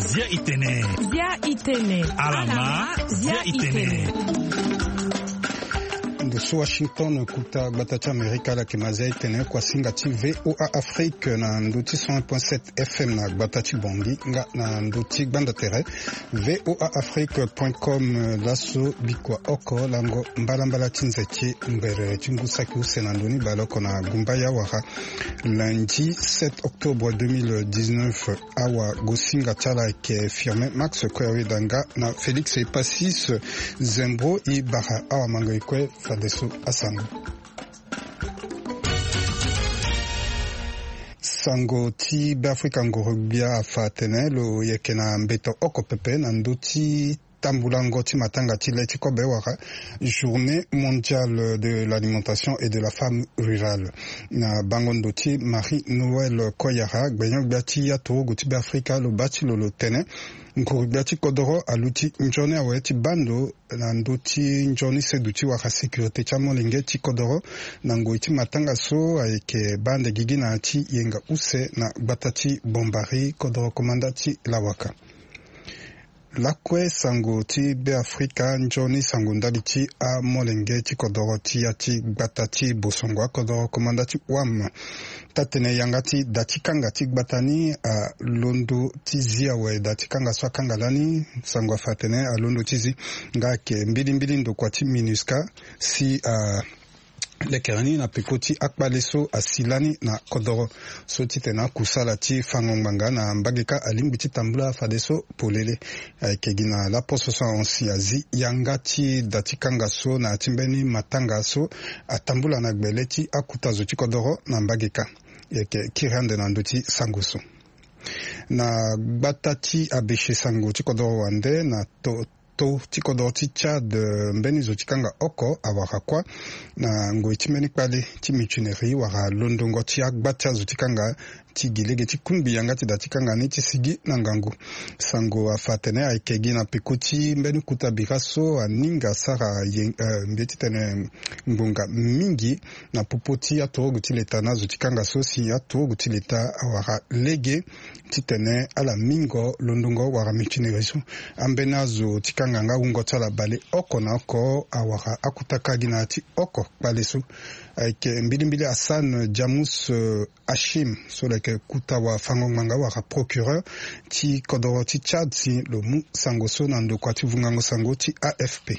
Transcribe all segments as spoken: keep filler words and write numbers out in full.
Zia itene. Zia itene. Alama. Zia itene. Ndo so Washington, kuta gbata ti Amerika, ala yeke ma zia itene kuasinga ti VOA Afrique na ndo ti cent un point sept FM na gbata ti Bongi nga na ndo ti gbanda tere. VOA Afrique point com. Laso bikua oko lango mbalambala ti nze ti ngberere ti ngu saki use na ndo ni baleoko na gumbaya wara lundi sept octobre deux mille dix-neuf. Awagosinga ti ala ayeke Firmin Max Koyawedanga na Félix Epasis Zembro. E bara awamango e kue fadeso asango. Sango ti Beafrika, nguru-gbia afa atene lo yeke na mbeto oko pepe na ndö ti tambulango ti matanga ti le ti kobe wala Journée mondiale de l'alimentation et de la femme rurale. Na bango ndo ti Marie Noël Koyara, gbenyo-gbia ti aturugu ti Beafrika, lo baa ti lo lo tene nguru-gbia ti kodoro aluti nzoni awe ti baa ndo na ndö ti nzoni seduti wala sécurité ti amolenge ti kodoro na ngoi ti matanga so ayeke baa ande gigi na ya ti yenga use na gbata ti Bombari, kodoro komanda ti Lawaka. Lakue sango ti Beafrika, nzoni sango ndali ti amolenge ti kodoro ti ya ti gbata ti Bosongo, akodoro komanda ti Wam. Taa-tene yanga ti da ti kanga ti gbata ni alondo ti zi awe. Da ti kanga so akanga lani, sango afa atene alondo ti zi nga ayeke mbilimbili ndokua ti MINUSCA si a lekere ni na peko ti akpale so asi lani na kodoro so titene akusala ti fango ngbanga na mbage kâ alingbi ti tambula fadeso polele. Ayeke gi na laposo so ahon si azi yanga ti da ti kanga so na ya ti mbeni matanga so atambula na gbele ti akuta zo ti kodoro na mbage kâ. E yeke kiri ande na ndö ti sango so. Na gbata ti Abéché, sango ti kodoro wande na to to ti kodoro ti Tchad, eh, mbeni zo ti kanga oko awara kuâ na ngoi ti mbeni kpale ti mutinerie wala londongo ti agba ti azo ti kanga ti gi lege ti kungbi yanga ti da ti kanga ni ti sigi na ngangu. Sango afa atene ayeke gi na peko ti mbeni kuta bira so aninga asara ye, eh, mbi ye titene ngbonga mingi na popo ti aturugu ti leta na azo ti kanga so si aturugu ti leta awara lege titene ala mingo londongo wala mutinerie so. Ambeni azo ti kanga nga wungo ti ala baleoko na oko awara akuta kâ gi na ya ti oko kpale so. Ayeke mbilimbili Hassan Jamus, eh, Hachim so lo yeke kuta wafango-ngbanga wala procureur ti kodoro ti Tchad si lo mu sango so na ndokua ti vungango sango ti AFP.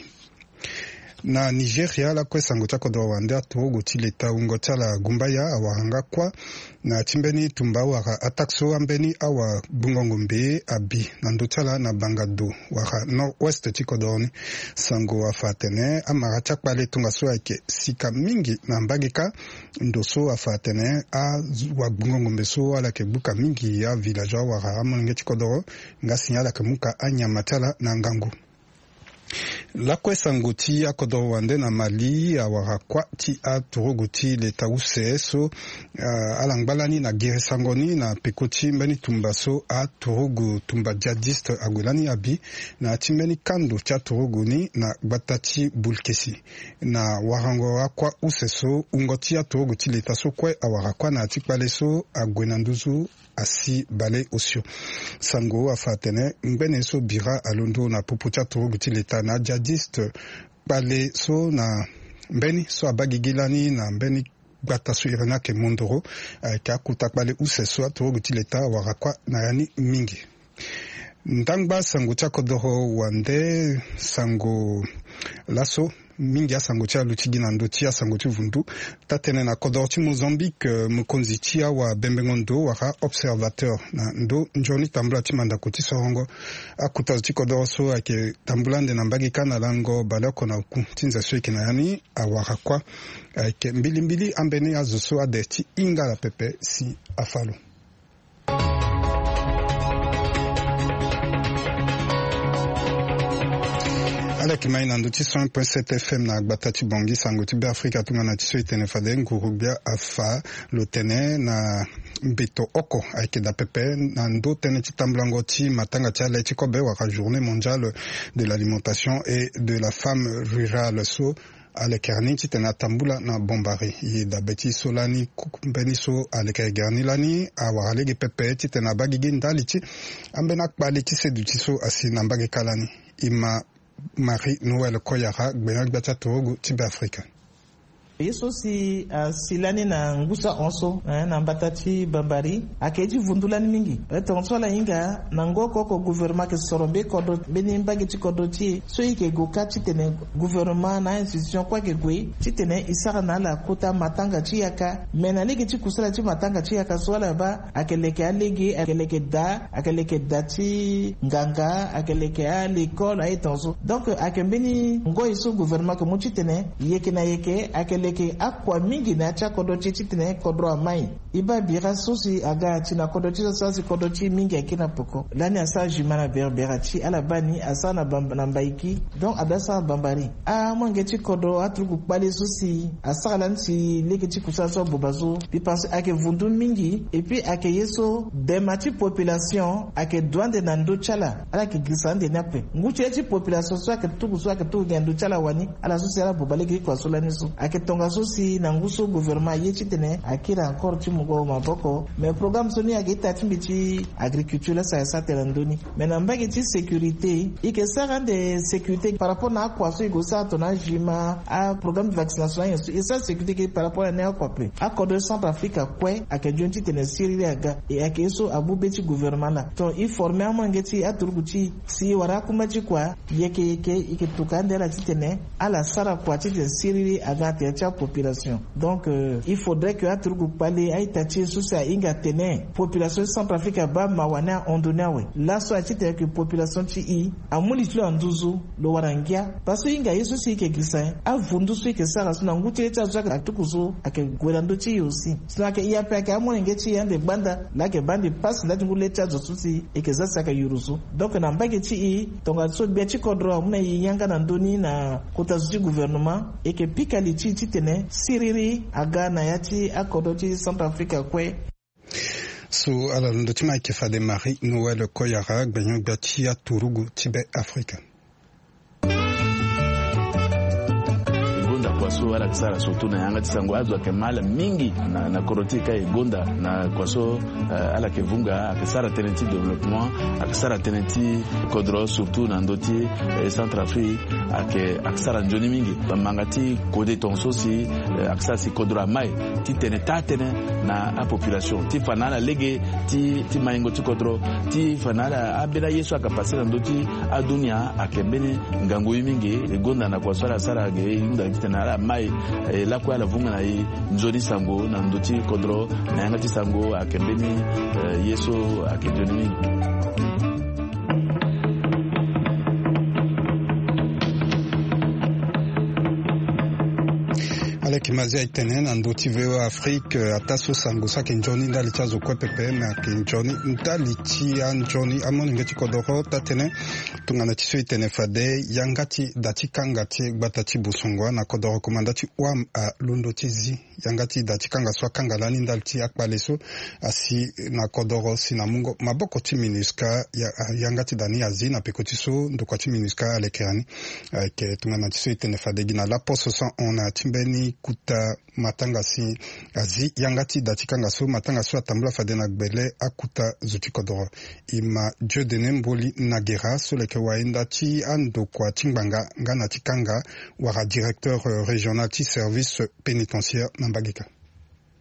Na Nigeria, lakue sango ti akodoro wande, aturugu ti leta wungo ti ala Gumbaya awara nga kuâ na ya ti mbeni tumba wala attaque so ambeni awagbungo-ngombe abi na ndö ti ala na Bangado wala nord-ouest ti kodoro ni. Sango afa atene amara ti akpale tongaso ayeke sika mingi na mbage kâ. Ndo so afa atene awagbungo-ngombe so ala yeke buka mingi avillageois wala amolenge ti kodoro nga si ala yeke mu ka anyama ti ala na ngangu. Lakue sango ti akodoro wande, na Mali awara kuâ ti aturugu ti leta use so, ah, ala ngba lani na gere sango ni na peko ti mbeni tumba so aturugu tumba djihadiste ague lani abi na ya ti mbeni kando ti aturugu ni na gbata ti Bulkesi. Na warango akuâ use so, wungo ti aturugu ti leta so kue awara kuâ na ya ti kpale so ague na nduzu asi baleosio. Sango afa atene ngbene so bira alondo na popo ti aturugu ti leta na adjihadiste kpale so na mbeni so abaa gigi lani na mbeni gbata so iri ni ayeke Mondoro, ayeke akuta kpale use so aturugu ti leta awara kuâ na ya ni mingi. Ndangba sango ti akodoro wande, sango laso mingi asango ti aluti gi na ndö ti asango ti vundu. Taa-tënë na kodoro ti Mozambique, eh, mokonzi ti awabembengo ndo wala observateur na ndö nzoni tambula ti mandako ti sorongo akuta zo ti kodoro so ayeke tambula ande na mbage kâ na lango baleoko na oku ti nze so e yeke na ya ni awara kuâ. Ayeke mbilimbili ambeni azo so ade ti hinga ala pepe si afa lo. Ala yeke ma e na ndö ti cent un point sept F M na gbata ti Bangui. Sango ti Beafrika atongana ti so e tene fade nguru-gbia afa lo tene na mbeto oko ayeke daa pepe na ndö tënë ti tambulango ti matanga ti ale ti kobe wala Journée mondiale de l'alimentation et de la femme rurale so alekere ni titene atambula na bombari. E dabe ti so lani mbeni so alekere gere ni lani awara lege pepe titene abaa gigi ndali ti ambeni akpale ti seduti so asi na mbage kâ lani. E ma Marie Noël Koyara, gbenyo-gbia ti aturugu ti Beafrika. Ye so si asi lani na ngu so ahon so, eh, na mbata ti Bambari, ayeke ye ti vundu lani mingi. Eh, tongaso ala hinga na ngoko oko gouvernement ayeke soro mbeni kodro, mbeni mbage ti kodro ti e so e yeke gue kâ titene gouvernement na a-institution kue ayeke gue titene e sara na ala kota matanga ti yaka. Me na lege ti kusala ti matanga ti yaka so ala baa, ayeke leke alege, ayeke leke da, ayeke leke da ti nganga, ayeke leke alekole, aye tongaso. Donc ayeke mbeni ngoi so gouvernement ayeke mu titene yeke na yeke ayeke leke akua mingi na ya ti akodro ti e titene kodro amai. E baa bira so si aga ti na kodro ti e so asi kodro ti e mingi ayeke na peko. Lani asara juma na Berbera ti ala baa ni asara na Bam-, na Mbaiki. Donc ada sara Bambari. Amolenge ti kodro aturugu kpale so si asara lani si lege ti kusala so aboba so. Mbi pense ayeke vundu mingi. Et puis ayeke ye so dema ti population ayeke du ande na ndö ti ala. Ala yeke girisa ande ni ape. Ngu ti ye ti population so ayeke tuku so ayeke tuku gi na ndö ti ala wani. Ala so si ala boba lege ti kua so lani so ayeke tongaso si na ngu so gouvernement aye titene akiri encore ti mungo maboko. Mais programme so ni ayeke ita ti mbi ti agriculture laa si ayeke sara tene na ndö ni. Mais na mbage ti sécurité, e yeke sara ande sécurité par rapport na akua so e gue sara tongana ajuma, aprogramme de vaccination, ayen so e sara sécurité ke par rapport na ni akua ape. Akodro ti Centrafrique akue ayeke nzoni titene siriri aga. E ayeke ye so abu be ti gouvernement laa. Donc e forme amolenge ti e, aturugu ti e, si e wara akuma ti kua, yeke yeke e yeke tuka ande ala titene ala sara kua titene siriri aga na tere ti apopulation. Donc, euh, il faudrait que aturugu kpale a-ita ti e so si ahinga atene population ti Centrafrique abaa mawa ni ahon ndoni awe. Laso aye titene que population ti e amu li ti lo na nduzu, lo wara ngia. Parce que e hinga ye so si e yeke girisa nyen? Avundu so e yeke sara so na ngu ti le ti azo so ayeke atuku so ayeke gue na ndö ti e aussi. Sinon ayeke e ape ayeke amolenge ti e ande gbanda, laa ayeke baa ande pasi ndali ti ngu le ti azo so si e yeke za si ayeke yuru so. Donc na mbage ti e, tongaso gbia ti kodro amu na e yanga na ndö ni na kota zo ti gouvernement, e yeke pika li ti e titene siriri aga na ya ti akodro ti Centrafrique kue. So ala londo ti ma ayeke fade Marie Noël Koyara, gbenyo-gbia ti aturugu ti Beafrika. E gonda kua so ala yeke sara surtout na yanga ti sango, azo ayeke ma ala mingi na, na kodro ti e ka e gonda na kua so, eh, ala yeke vunga, ayeke sara tënë ti développement, ayeke sara tënë ti kodro surtout na ndö ti, eh, Centrafrique, ayeke, ayeke sara nzoni mingi. Manga ti kode tongaso si, eh, ayeke sara si kodro amai titene taa tënë na apopulation ti fa na ala lege ti, ti maingo ti kodro, ti fa na ala ambeni aye so ayeke pase na ndö ti adunia ayeke mbeni ngangu ye mingi. E gonda na kua so ala sara ge e hunda titene ala mai, eh, lakue ala vunga na e nzoni sango na ndö ti kodro na yanga ti sango ayeke mbeni, eh, ye so ayeke nzoni mingi. Aleke ma azia e tene na ndö ti V O A Afrique, eh, ataa so sango so ayeke nzoni ndali ti azo kue pepe, me ayeke nzoni ndali ti anzoni amolenge ti kodoro. Taa tënë tongana ti so e tene fade yanga ti da ti kanga ti gbata ti Bosongua na kodoro komanda ti O A M alondo ti zi yanga ti da ti kanga so akanga lani ndali ti akpale so asi na kodoro si na mungo maboko ti MINUSCA. Ya, yanga ti da ni azi na peko ti so ndokua ti MINUSCA alekere ni. Ayeke tongana ti so e tene fade gi na laposo so ahon na ya ti mbeni kota matanga si azi yanga ti da ti kanga so, matanga so atambula fade na gbele akota zo ti kodoro. E ma Dieudonné Mboli Nagera so leke wayenda ti andokua ti ngbanga nga na ti kanga wala directeur, euh, régional ti service pénitentiaire na mbage kâ.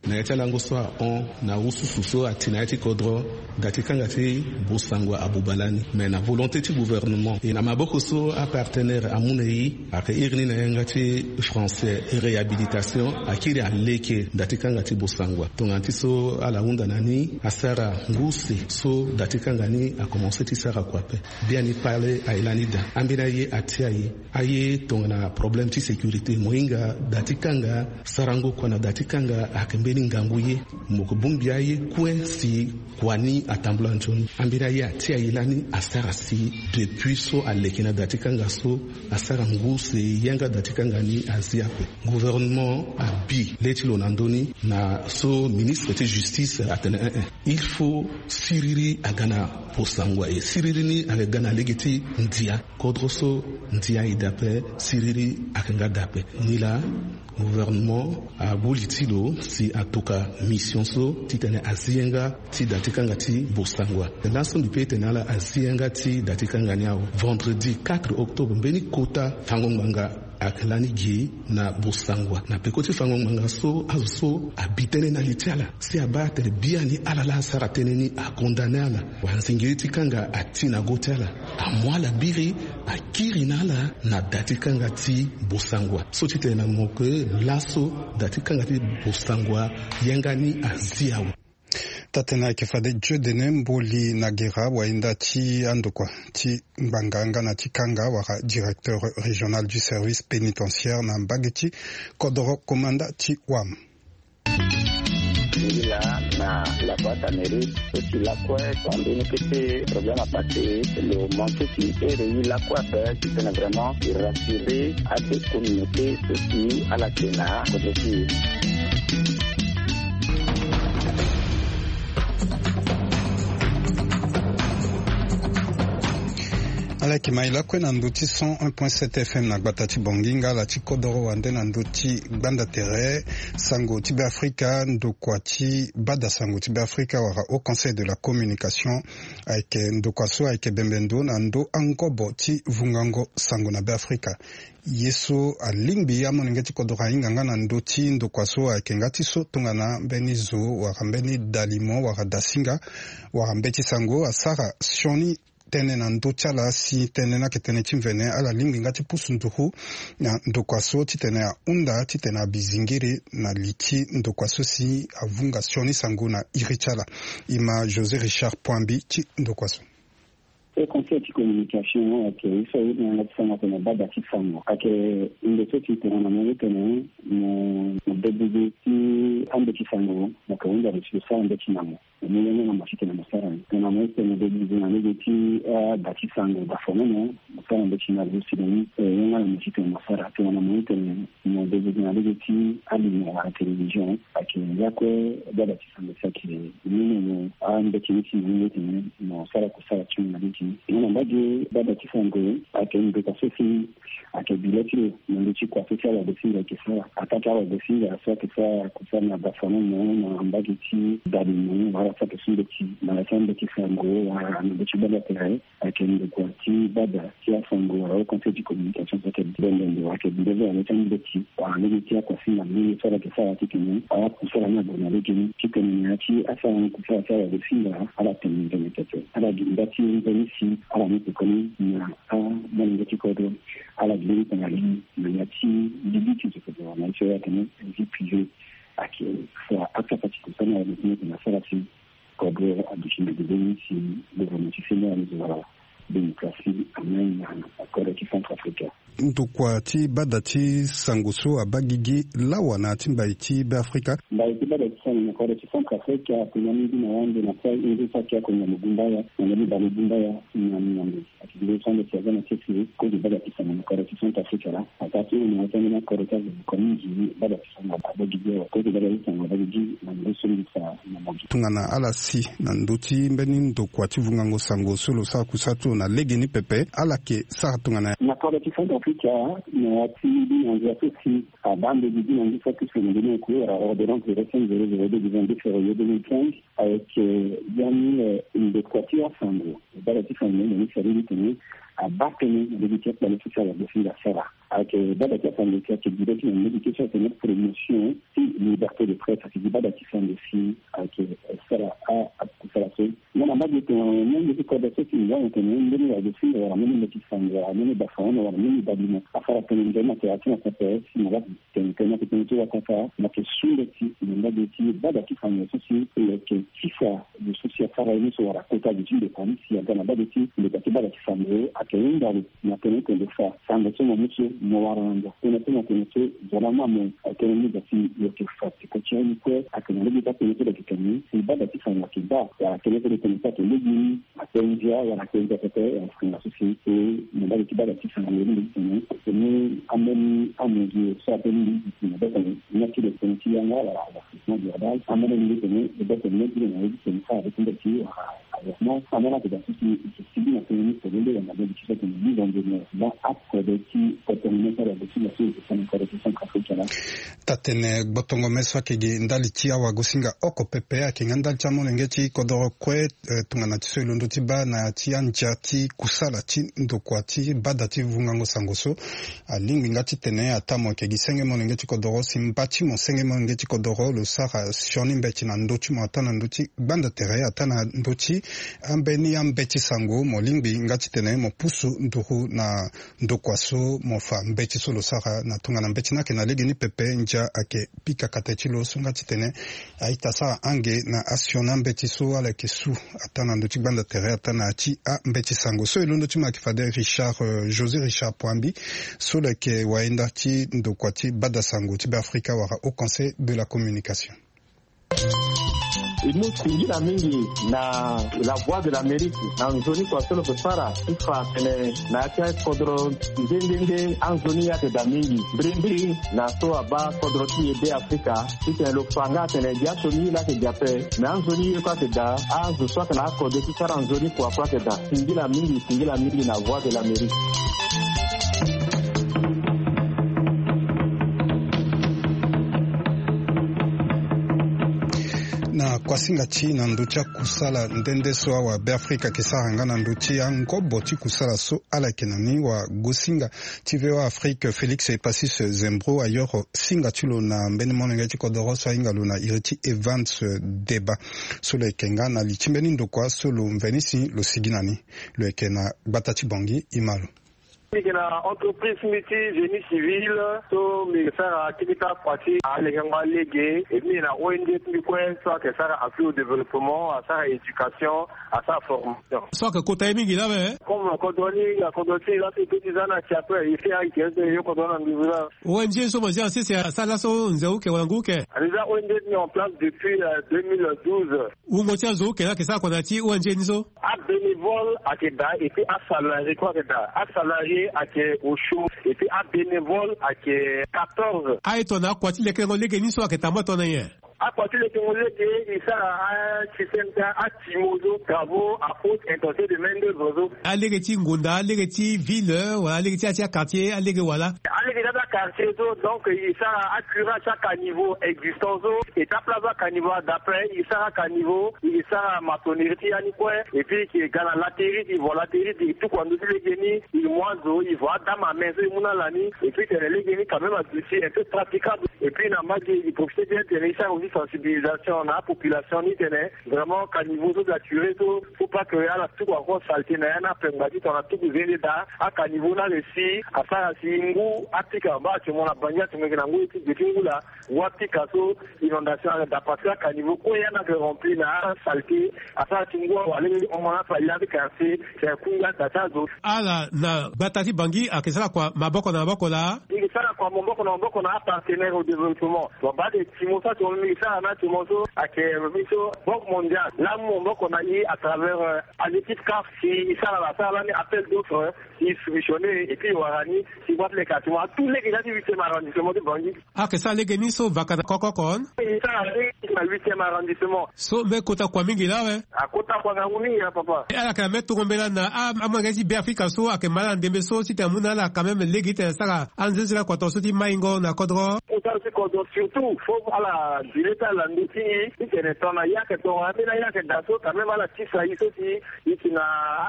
Na ya ti alango so ahon na ususu so ati na ya ti kodro, da ti kanga ti Bosangwa abuba lani. Mais na volonté ti gouvernement e na maboko so apartenaire amu na e, ayeke iri ni na yanga ti français réhabilitation, akiri aleke da ti kanga ti Bosangwa. Tongana ti so ala hunda na ni asara ngu use so da ti kanga ni akomanse ti sara kua ape. Biani kpale aye lani daa. Ambeni aye atia e. Aye tongana problème ti sécurité, mo hinga da ti kanga, sarango kua na da ti kanga ayeke mbeni ngangu ye. Mo yeke bongbi aye kue si kua ni atambula nzoni. Ambeni aye atia e lani asara si depuis so aleke na da ti kanga so asara ngu use yanga da ti kanga ni azi ape. Gouvernement abi Gi le ti lo na ndö ni na so ministre ti justice atene, eh, eh, il faut siriri aga na bosangwa, e siriri ni aga ga na lege ti ndia. Kodro so ndia aye daa ape, siriri aga nga daa ape. Nilaa gouvernement ague li ti lo si atoka mission so titene azi yanga ti da ti kanga ti bosangwa. Laso mbi pe tene ala azi yanga ti da ti kanga ni awe. Vendredi quatre octobre mbeni kota fango ngbanga ayeke lani gi na bosangwa. Na peko ti fango ngbanga so, azo so abi tënë na li ti ala si abaa atene biani ala laa asara tënë ni, akondane ala. Wala nzingiri ti kanga ati na go ti ala. Amu ala biri, akiri na ala na da ti kanga ti bosangwa. So ti tene na mo ke laso da ti kanga ti bosangwa yanga ni azi awe. Taa-tënë ayeke fade Dieudonné Mboli Naguera, wahinda ti andokua ti ngbanga nga na ti kanga wala directeur régional du service pénitentiaire na mbage ti kodoro komanda ti Wam. Ila na la boîte à mérite, so ti lakue, tongana mbeni kete problème apassé, lo manqué ti ere ye lakue ape, titene vraiment e rassurer ade communauté so si ala yeke na kodro ti e. Ala yeke ma e lakue na ndö ti cent un point sept F M na gbata ti Bangui nga ala ti kodoro wande na ndö ti gbanda tere sango ti Beafrika, ndokua ti bada sango ti Beafrika wala Haut Conseil de la Communication. Ayeke ndokua so ayeke bembe ndo na ndö angobo ti vungango sango na Beafrika. Ye so alingbi amolenge ti kodro ahinga nga na ndö ti ndokua so ayeke nga ti so tongana mbeni zo wala mbeni dalimo wala dasinga wala mbeti sango asara sioni tënë na ndö ti ala si tënë ni ayeke tënë ti mvene. Ala lingbi nga ti pusu nduru na ndokua so titene ahunda titene abi zingiri na li ti ndokua so si avunga sioni sango na iri ti ala. E ma José Richard Poambi ti ndokua so. E conseil ti communication ayeke ye so aye tongana ti sango atene bada ti sango ayeke ndo so ti tongana mo ye tene mo mo debude ti ambeti sango mo yeke hunda lo ti lo sara mbeti na mo. Mo mu yanga na mo ti tene mo sara ni. Tongana mo ye tene mo debude na lege ti ada ti sango dafonono mo sara mbeti na lo si lo mu yanga na mo ti tene mo sara. Tongana mo ye tene mo debude na lege ti alimo wala télévision ayeke ya kue bada ti sango si ayeke ni na mo ambeti ni ti mo ye tene mo sara kusala ti mo na lege ni. Nga na mbage bada ti sango ayeke ndokua so si ayeke bi le ti lo na ndö ti kua so si awagosinga ayeke sara. Ataa ti awagosinga so ayeke sara kusala na dafonono na mbage ti dalimo wala so ayeke su mbeti na ya ti ambeti sango wala na ndö ti bada tere. Ayeke ndokua ti bada ti asango wala Haut Conseil ti communication so ayeke bembe ndo ayeke bi le ti na ndö ti ambeti wala lege ti akuasinga mbeni so ala yeke sara titene akusala ni ague na lege ni titene na ya ti asara ni kusala ti awagosinga ala tene nzoni pepe. Ala gi nda ti nzoni si ala mu pekoni na amolenge ti kodro. Ala gi mbeni tongana leni na ya ti lili ti nzoko na ye so ya tene vie privée ayeke fa akapa ti kusana wala tene tene asara si kodro aduti na dede ni si gouvernement ti Sénégal wala démocratie amai na kodro ti Centrafrique. Ndokua ti bada ti sango so abaa gigi lawa na ya ti mbai ti Beafrika. Mbai ti bada ti sango na kodro ti Centrafrique atene mingi na wande na sai ngu saki ako na mogumbaya na mbeni bale gumbaya na miambe. Ati nde so ande ti aza na sese kozo bada ti sango na kodro ti Centrafrique la. Ataa ti hunda na ya ti ambeni akodro ti azo kua mingi bada ti sango abaa gigi awa. Kozo bada ti sango abaa gigi na ngu so mbi fa na mo gi. Tongana ala si na ndö ti mbeni ndokua ti vungango sango so lo sara kusala ti lo na legeni pepe ala yeke sara tongana ya. Na kodro ti Centrafrique na ya ti mbi na ngia so si abaa mbeni gi na ngu so ti sango mbeni oko wala ordonnance zéro cinq zéro zéro deux du vingt-deux février deux mille quinze. Ayeke biani ndokua ti asango bada ti sango na ni sari ni tene abaa tënë na lege ti akpale so si awagosinga asara. Ayeke bada ti asango si ayeke gi le ti na lege ti so atene promotion ti liberté de presse ayeke gi bada ti sango si ayeke sara akusala so. Nga na mbage tongana molenge ti kodro so si mo wani atene mbeni wagosinga wala mbeni mbeti sango wala mbeni dafaono wala mbeni badimo asara tënë nzoni na tere ti na pepe si mo ga tene tënë na tënë ti watata mo yeke su mbeti na mbage ti bada ti sango so si lo yeke tisa lo so si asara ye ni so wala kota lo ti ndokua ni si aga na mbage ti ndokua ti bada ti sango ayeke hunda lo na tënë ti tene fa sango so mo mu so mo wara na ndo tënë so na tënë so zo laa ma mo. Tënë ni ga si lo yeke fa peko ti aye ni kue ayeke na lege ti atënë so lo yeke tene si bada ti sango ayeke baa wala tënë so lo tene so ayeke lege ni. Apenzi awe wala apenzi apepe wala apenzi apepe. Na mbage ti bada ti sango ni mbeni tene tene ambeni amozi so ape ni mbeni tene bata ni na ti lo tene Yango wala avancement global amene ni tene ebe tene ti na ye ti tene sa avec nde ti wala avancement amene ake da ti ti ti bi na tene ni tene nde yanga nde ti so tene bi zande ne ba akode ti kotono ne sara de ti na so e tene kode ti Centrafrique la. Tatene gbotongo me so ake gi ndali ti awagosinga oko pepe ake nga ndali ti amolenge ti kodoro kue, eh, tongana ti so e londo ti baa na ya ti andia ti kusala ti ndokua ti bada ti vungango sango so. Alingbi nga titene ataa mo yeke gi senge molenge ti kodoro si mba ti mo senge molenge ti kodoro lo sara sioni mbeti na ndö ti mo ataa na ndö ti gbanda tere ataa na ndö ti ambeni ambeti sango mo lingbi nga titene mo pusu nduru na ndokua so mo fa mbeti so lo sara na tongana mbeti ni ayeke na legeni pepe ndia ayeke pika kate ti lo so nga titene a-ita asara ange na asioni ambeti so ala yeke su ataa na ndö ti gbanda tere ataa na ya ti ambeti sango so e londo ti mo ayeke fade Richard, eh, José Richard Poambi so lo yeke wayenda ti ndokua ti bada sango ti Beafrika wala Haut Conseil de la Communication. E mu singila mingi na La Voix de l'Amérique na nzoni kua so lo yeke sara ti fa atene na ya ti akodro nde nde nde anzoni ye ayeke daa mingi mbirimbiri na so abaa kodro ti e Beafrika. Titene lo fa nga atene gi asioni ye laa ayeke gi ape me anzoni ye kue ayeke daa azo so ayeke na akode ti sara nzoni kua kue ayeke daa. Singila mingi, singila mingi na Voix de l'Amérique. Na kuasinga ti na ndö ti akusala nde nde so awabeafrika ayeke sara nga na ndö ti angobo ti kusala so ala yeke na ni wagosinga ti V O A Afrique Félix Epassis Zembro ayoro singa ti lo na mbeni molenge ti kodoro so ahinga lo na iri ti Evans Deba so lo yeke nga na li ti mbeni ndokua so lo mveni si lo sigi na ni. Lo yeke na gbata ti Bangui, e ma lo. Mbi yeke na entreprise mbi ti génie civil so mbi yeke sara keketa kua ti alekengo alege. E mbi yeke na O N G ti mbi kue so ayeke sara appui au développement, asara éducation, asara formation. So ayeke kota ye mingi laa awe. Comme kodro ni akodro ti e laa so e peut ti za na si ape e fait ayeke so e yo kodro na nduzu laa. O N G so mo zia na sese asara laso nze uke wala ngu uke? Déjà O N G ti mbi en place depuis, euh, deux mille douze. Wungo ti azo uke laa ayeke sara kua na ya ti O N G ni so? Abénévole ayeke daa et puis asalarié kue ayeke daa. Asalarié ayeke osio et puis abénévole ayeke quatorze. Aye tongana akua ti lekerengo legeni so ayeke tambula tongana nyen? Akua ti lekerengo lege e sara asystème ti atimo so, travaux à haute intensité de main d'œuvre so. Alege ti ngonda, alege ti ville wala alege ti ya ti aquartier, alege wala? Alege ti aquartier so, donc e sara acurage ti acaniveau existant so, e ti aplace acaniveau ada ape, e sara acaniveau, e sara maçonnerie ti ya ni kue. Et puis e ga na laterie, e vo laterie, e tuku na ndö ti lege ni, e mu azo, e vo adame à main so e mu na ala ni. Et puis tene lege ni quand même aduti un peu praticable. Et puis na mbage e profiter bien tene e sara aussi sensibilisation na apopulation ni tene vraiment caniveau so saturé so, faut pas que ala tuku encore saleté na ya ni ape ngba ti tongana tuku zende daa. Acaniveau ni aressi asara si ngu apika, baa actuellement na Bangui actuellement e yeke na ngu ti ge ti ngu laa, ngu apika so inondation ayeke daa parce que acaniveau kue ya ni ayeke rempli na asaleté. Asara ti ngu awa lege ti hon mo na afa ya ti quartier, si ayeke ku ngia daa ti azo. Ala na gbata ti Bangui ayeke sara kua maboko na maboko laa? E yeke sara kua maboko na maboko na apartenaire au développement. Wa baa de ti mo so actuellement mbi yeke sara na actuellement so ayeke mbi so Banque Mondiale laa amu maboko na e à travers, euh, a l'équipe CAF. Si e sara laa asara lani appel d'offre, e soumissionner et puis e wara ni si e baa ti leke actuellement atout lege ti ya ti huitième arrondissement ti Bangui. Ayeke sara lege ni so vaka na koko oko? E sara lege na huitième arrondissement. So mbeni kota kua mingi laa awe? Akota kua ngangu mingi laa papa. E ala yeke na mbeni tongo mbela na a, amolenge ti Beafrika so ayeke ma ala na ndembe so titene amu na ala quand même lege titene asara anzenze lakua tongaso ti maingo na kodro? Kota ti kodro surtout faut ala dile ti ala na ndö ti e titene tongana ye ayeke tongana ambeni aye ayeke daa so quand même ala tisa e so si e yeke na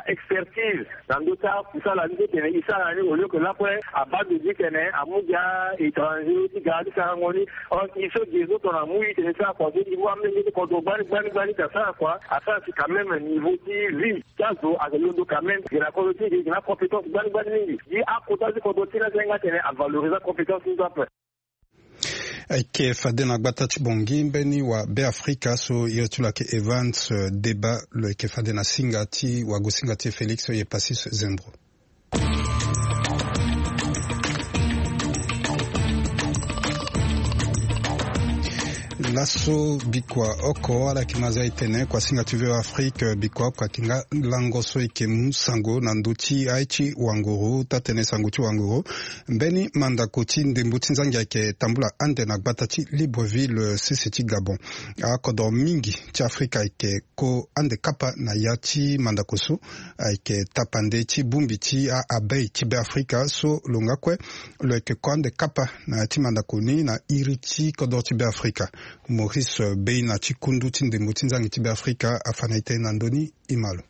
expertise na ndö ti akusala ni so tene e sara ni au lieu que lakue abaa ndo ti tene amu gi a-étranger ti ga ti sarango ni. Or e so ge so tongana amu e tene e sara kua so e mu amolenge ti kodro gbani gbani gbani ti asara kua asara si quand même niveau ti vie ti azo ayeke londo quand même. Ge na kodro ti e ge ge na compétence gbani gbani mingi. Gi akota ti kodro ti e ni asenga tene avaloriser compétence ni so ape. Ayeke fade na gbata ti Bangui mbeni wa Beafrika so iri ti lo ayeke Evans, eh, Deba lo yeke fade na singa ti wagosinga ti e Félix Epassis Zembro. Laso bikua oko ala yeke ma za e tene kuasinga ti V O A Afrique, bikua oko ayeke nga lango so e yeke mu sango na ndö ti aye ti wanguru, taa-tënë sango ti wanguru. Mbeni mandako ti ndembo ti nzangi ayeke tambula ande na gbata ti Libreville, sese ti Gabon. Akodro mingi ti Afrika ayeke ko ande kapa na ya ti mandako so ayeke tapande ti bongbi ti a-abeille ti Beafrika so lo nga kue lo yeke ko ande kapa na ya ti mandako ni na iri ti kodro ti Beafrika. Maurice Beina ti kundu ti ndembo ti nzangi ti Beafrika afa na e tënë na ndö ni, e ma lo.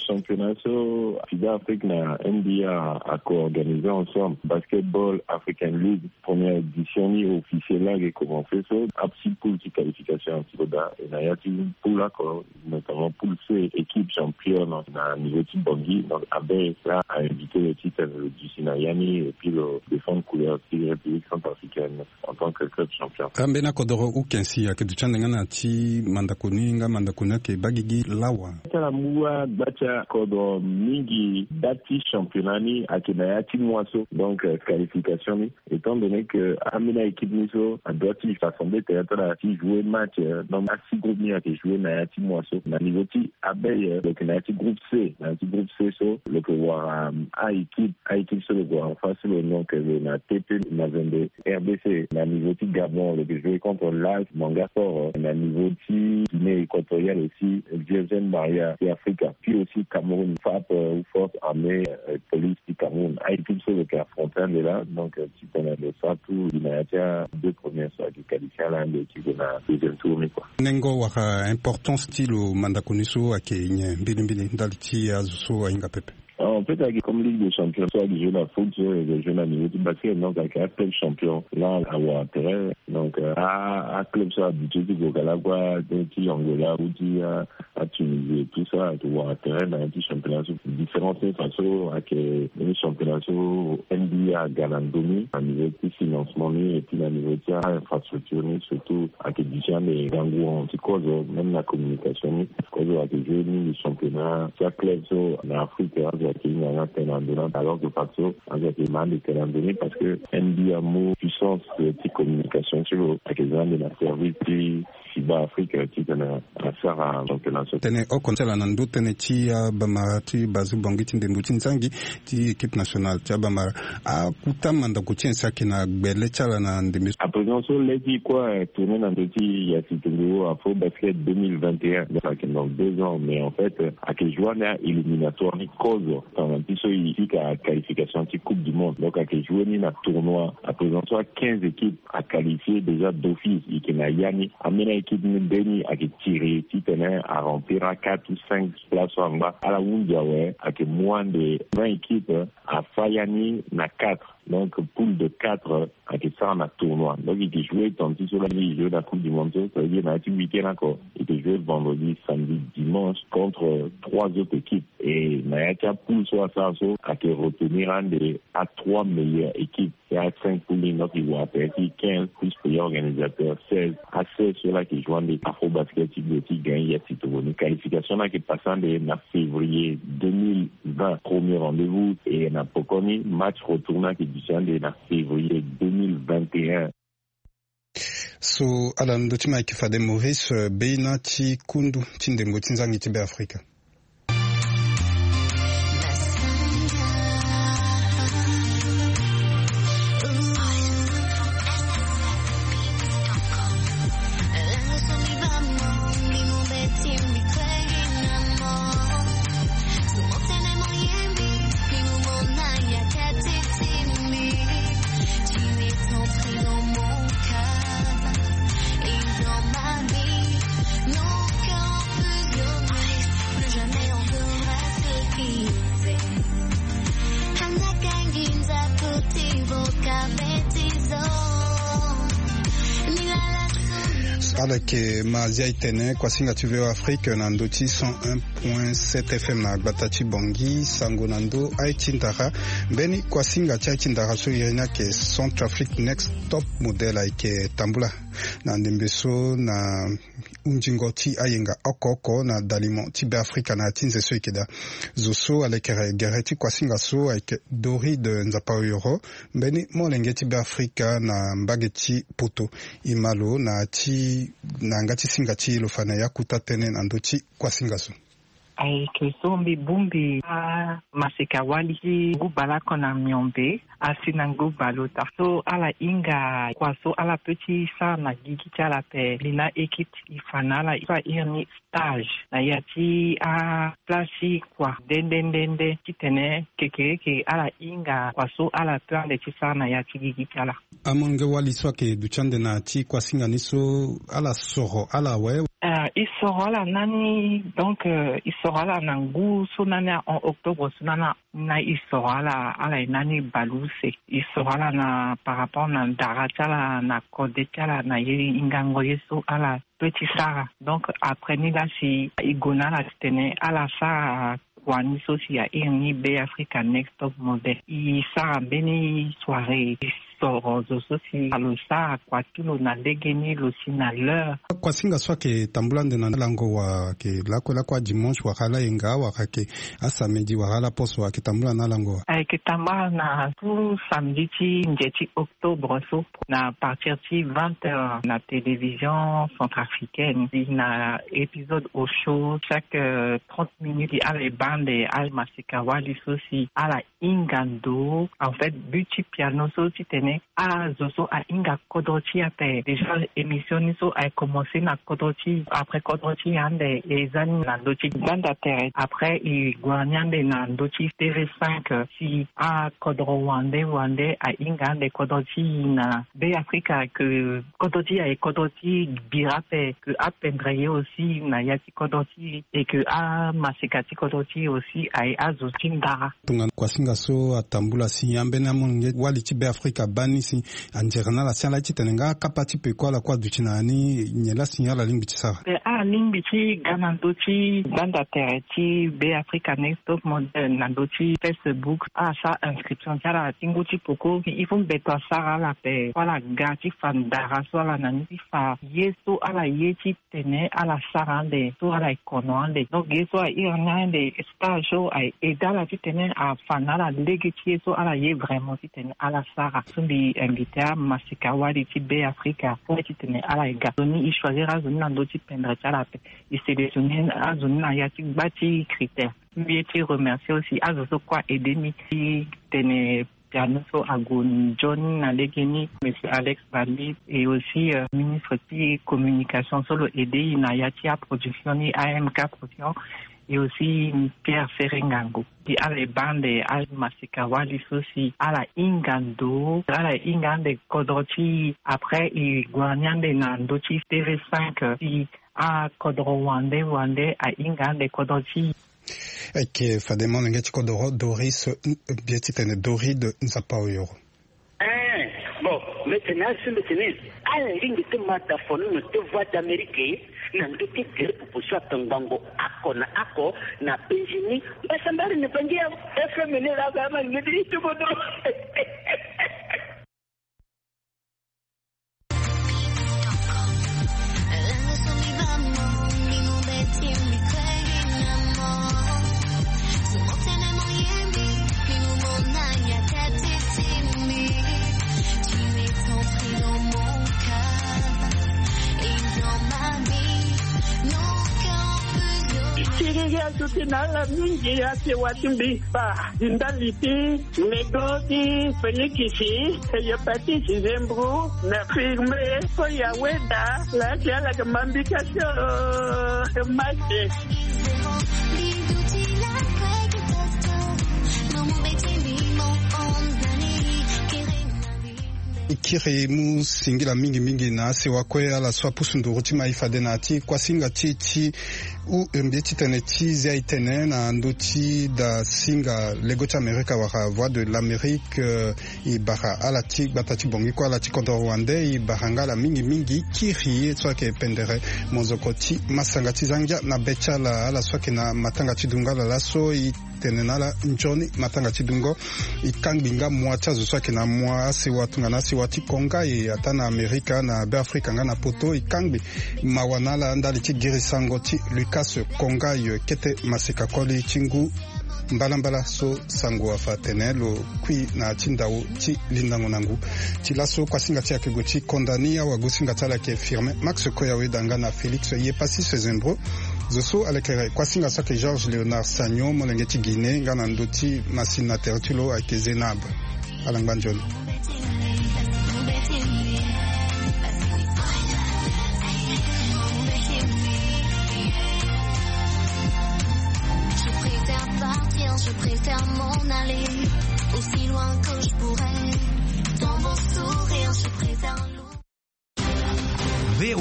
Championnat so Sud Afrique na N B A a co-organisé ensemble, Basketball African League, première édition ni officielle la ayeke commencé so, a six poules ti qualification ti lo daa, e na ya ti poule oko, notamment poule C, équipe championne na niveau ti Bangui. Donc abeille la a invité lo ti tene lo duti na ya ni et puis lo défendre couleur ti République centrafricaine en tant que club champion. Ambeni akodro ukensi ayeke duti ande nga na ya ti mandako ni, nga mandako ni ayeke baa gigi lawa. Ti ala mu agba ti akodro mingi, date ti championnat ni ayeke na ya ti mois so. Donc, euh, qualification ni, étant donné que ambeni a-équipe ni so adoit ti rassembler tene ti ala ti jouer match, euh, donc a six groupe ni ayeke jouer na ya ti mois so. Na niveau ti abeille, euh, lo yeke na ya ti groupe C. Na ya ti groupe C so lo yeke wara, euh, a-équipe, a-équipe so lo yeke wara en face ti lo, donc, euh, lo na T P Mazembe, R D C. Na niveau ti Gabon lo yeke jouer contre l'A S Manga Sport, euh, na niveau ti Guinée équatoriale aussi, Virgin Maria ti Afrika, puis aussi Cameroun, FAP, euh, ou Force Armée, euh, Police ti Cameroun. A-équipe so lo yeke affronter ande laa, donc, euh, ti tene lo sara tout li na ya ti a deux premières so ayeke qualifier ala ande ti gue na deuxième tour ni, quoi. Nengo wala importance ti lo mandako ni so ayeke nyen mbilimbili ndali ti azo so ahinga pepe? Ah, en fait, ayeke comme Ligue des Champions so ayeke jouer na foot, so ayeke jouer na niveau ti basket, donc ayeke aclub champion la awara tere. Donc, euh, a, aclub so ahabitué ti gue ka lakue ti Angola ou ti, euh, a Tunisie et tout ça, ayeke wara tere na ya ti championnat so. Différence ni fa so ayeke ni championnat so N B A aga na ndö ni, na niveau ti financement ni et puis na niveau ti a-infrastructure ni surtout. Ayeke duti ande gangu ti kozo, même na communication ni. Kozo ayeke jouer ni championnat ti aclub so na Afrique, azo ayeke hinga nga tene na ndö ni, alors que fa so azo ayeke ma ande tene na ndö ni parce que N B A amu puissance, euh, ti communication ti lo ayeke za ande na service ti FIBA Afrique, euh, ti tene asara championnat so. Tënë oko ti ala na ndö tënë ti abamara ti bazu bongi ti ndembo ti nzangi ti équipe nationale ti abamara. Akuta mandako ti nyen si ayeke na gbele ti ala na ndembe so? À présent so le ti kue, euh, tourner na ndö ti ya si tongo Afro Basket deux mille vingt et un. Donc ayeke dans deux ans, mais en fait, euh, ayeke jouer ande a-éliminatoire ni kozo. Tongana ti so e fika qualification ti Coupe du Monde. Donc ayeke jouer ni na tournoi. À présent so a quinze équipes a qualifié déjà d'office, e yeke na ya ni. Ambeni a-équipe ni mbeni ayeke tiré titene a remplir a quatre ou cinq place so angba. Ala hunzi awe, ayeke mu ande vingt équipes, afa ya ni na quatre. Donc poule de quatre ayeke sara na tournoi. Donc e yeke jouer tongana ti so la e jouer na Coupe du Monde so, ça veut dire na ya ti week-end oko e yeke jouer vendredi, samedi, dimanche contre trois autres équipes. Et na ya ti apoule so asara so ayeke retenir ande a trois meilleures équipes. Ya cinq poule ni, donc e wara tere ti quinze, plus pays organisateur seize. A seize so la ayeke jouer ande Afro Basket ti gagner ya ti tongo ni. Qualification ni ayeke passé ande na février deux mille vingt, premier rendez-vous. Et na pokoni match retour ni ayeke duti ande na février deux mille vingt et un. So ala na ndö ti ma ayeke fade Maurice, euh, Beina ti kundu ti ndembo ti nzangi ti Beafrika. Ala yeke ma zia e tene kuasinga ti V O A Afrique na ndö ti cent un point sept F M na gbata ti Bangui. Sango na ndö aye ti ndara. Mbeni kuasinga ti aye ti ndara so iri ni ayeke Centrafrique Next Top Model ayeke tambula na ndembe so na hunzingo ti ayenga oko oko na dalimo ti Beafrika na ya ti nze so e yeke daa. Zo so alekere gere ti kuasinga so ayeke Doride Nzapa Oyoro, mbeni molenge ti Beafrika na mbage ti Poto. E ma lo na ya ti na yanga ti singa ti e lo fa na e akuta tënë na ndö ti kuasinga so. Ayeke so mbi bongbi amaseka wali ti ngu baleoko na miombe, asi na ngu baleota so ala hinga kua so ala peut ti sara na gigi ti ala ape. Mbi na équipe e fa na ala so a iri ni stage na ya ti aplace ti kua nde nde nde nde titene kekereke ala hinga kua so ala peut ande ti sara na ya ti gigi ti ala. Amolenge wali so ayeke duti ande na ya ti kuasinga ni so, ala soro ala awe? Ah, e soro ala na ni, donc, euh, e soro ala na ngu so na ni a en octobre so na ni a, na e soro ala, ala ye na ni baleuse. E soro ala na par rapport na ndara ti ala, na kode ti ala, na ye hingango ye so ala peut ti sara. Donc après ni laa si e gue na ala titene ala sara kua ni so si a iri ni Beafrika Next Top Model. E sara mbeni soirée, e soro zo so si lo sara kua ti lo na legeni, lo si na l'heure. Kuasinga so ayeke tambula ande na lango wa, ayeke lakue lakue adimanche wala ayenga wala ayeke asamedi wala ala poso, ayeke tambula na lango wa? Ayeke tambula na tout samedi ti nze ti octobre so, na partir ti vingt heures na télévision centrafricaine, na épisode au show, chaque, euh, trente minutes, ala e baa ande amaseka wali so si ala hinga ndo. En fait, but ti piano so titene azo so ahinga kodro ti e ape. Déjà émission ni so aye commencé na kodro ti e, après kodro ti e ande e za ni na ndö ti gbanda tere. Après e gue ni ande na ndö ti T V cinq, si akodro wande wande ahinga ande kodro ti e na Beafrika, que kodro ti e aye kodro ti bira ape, que apendre ye aussi na ya ti kodro ti e, et que amaseka ti kodro ti e aussi aye azo ti ndara. Tongana kuasinga so atambula si, ambeni amolenge wali ti Beafrika abaa ni si, anzere na ala si ala ye titene nga akapa ti peko ala kue aduti na ya ni, nyen laa si ala lingbi ti sara? Eh, ala lingbi ti ga na ndö ti gbanda tere ti Beafrika Next Top Model na ndö ti Facebook, ala sara inscription ti ala ti ngu ti peko. Il faut mbeto asara ala ape, ala ga ti fa ndara so ala na ni, ti fa ye so ala ye ti tene ala sara ande, so ala ye kono ande. Donc ye so a iri ni ande, stage so aye aidé ala titene afa na ala lege ti ye so ala ye vraiment titene ala sara. So mbi invité amaseka wali ti Beafrika pour titene ala ye ga. Nzoni e choisir azo ni na ndö ti pendre ti ala ape. E sélectionner azo ni na ya ti gba ti critère. Mbi ye ti remercier aussi azo so kue a aidé mbi ti tene piano so ague nzoni na lege ni, monsieur Alex Bambi, et aussi, euh, ministre ti communication so lo aidé e na ya ti aproduction ni, A M K Production, et aussi Pierre Serengango. Si ala e baa ande amaseka wali so si ala hinga ndo, ala hinga ande kodro ti e, après e gue ni ande na ndö ti T V cinq, si akodro wande wande ahinga ande kodro ti e. Eke fade molenge ti kodoro Doris, eh, mbi ye titene Doride Nzapa Oyoro. Eh, bon, mbi tene asi mbi tene ala lingbi ti ma da fonono ti Voix d'Amérique na ndö ti gere popo so atongbango oko na oko na penzi ni. Mbasambari ni Bangui F M ni laa ga ma ni ti bodo. Siriri azo ti na ala mingi, asewa ti mbi fa. Ndali ti Nego ti Félix, Hépatite, Zembrou, na Firme, Koya, Weda, la ti ala ke mambi ka so, Mate. Kiri mu singila mingi mingi na asewa kue ala so apusu nduru ti mai fade na ya ti kuasinga ti e ti u mbi ti tene ti zia e tene na ndö ti da singa lego ti amerika wala voix de l'amérique. E bara ala ti gbata ti bongi kue ala ti kodro wande e bara nga ala mingi mingi kiri ye so ayeke pendere mozoko ti masanga ti zangia na be ti ala ala so ayeke na matanga ti dunga ala laso e tene na ala nzoni matanga ti dungo. E kangbi nga mua ti azo so ayeke na mua asewa tongana asewa ti kongai ata na amerika na be afrika nga na poto e kangbi mawa na ala ndali ti girisango ti lucas kongai kete maseka koli ti ngu mbalambala so sango afa atene lo kui na ya ti ndau ti lindango na ngu. Ti laso kuasinga ti ayeke gue ti konda ni awagosinga ti ala ayeke firme max koya weda nga na félix ye passis zembro. Zo so alekere kuasinga so ayeke georges léonard sagnon molenge ti guinée nga na ndö ti masini na tere ti lo ayeke zénab. Ala ngba nzoni. Je préfère partir, je préfère m'en aller aussi loin que je pourrais. Dans mon sourire, je préfère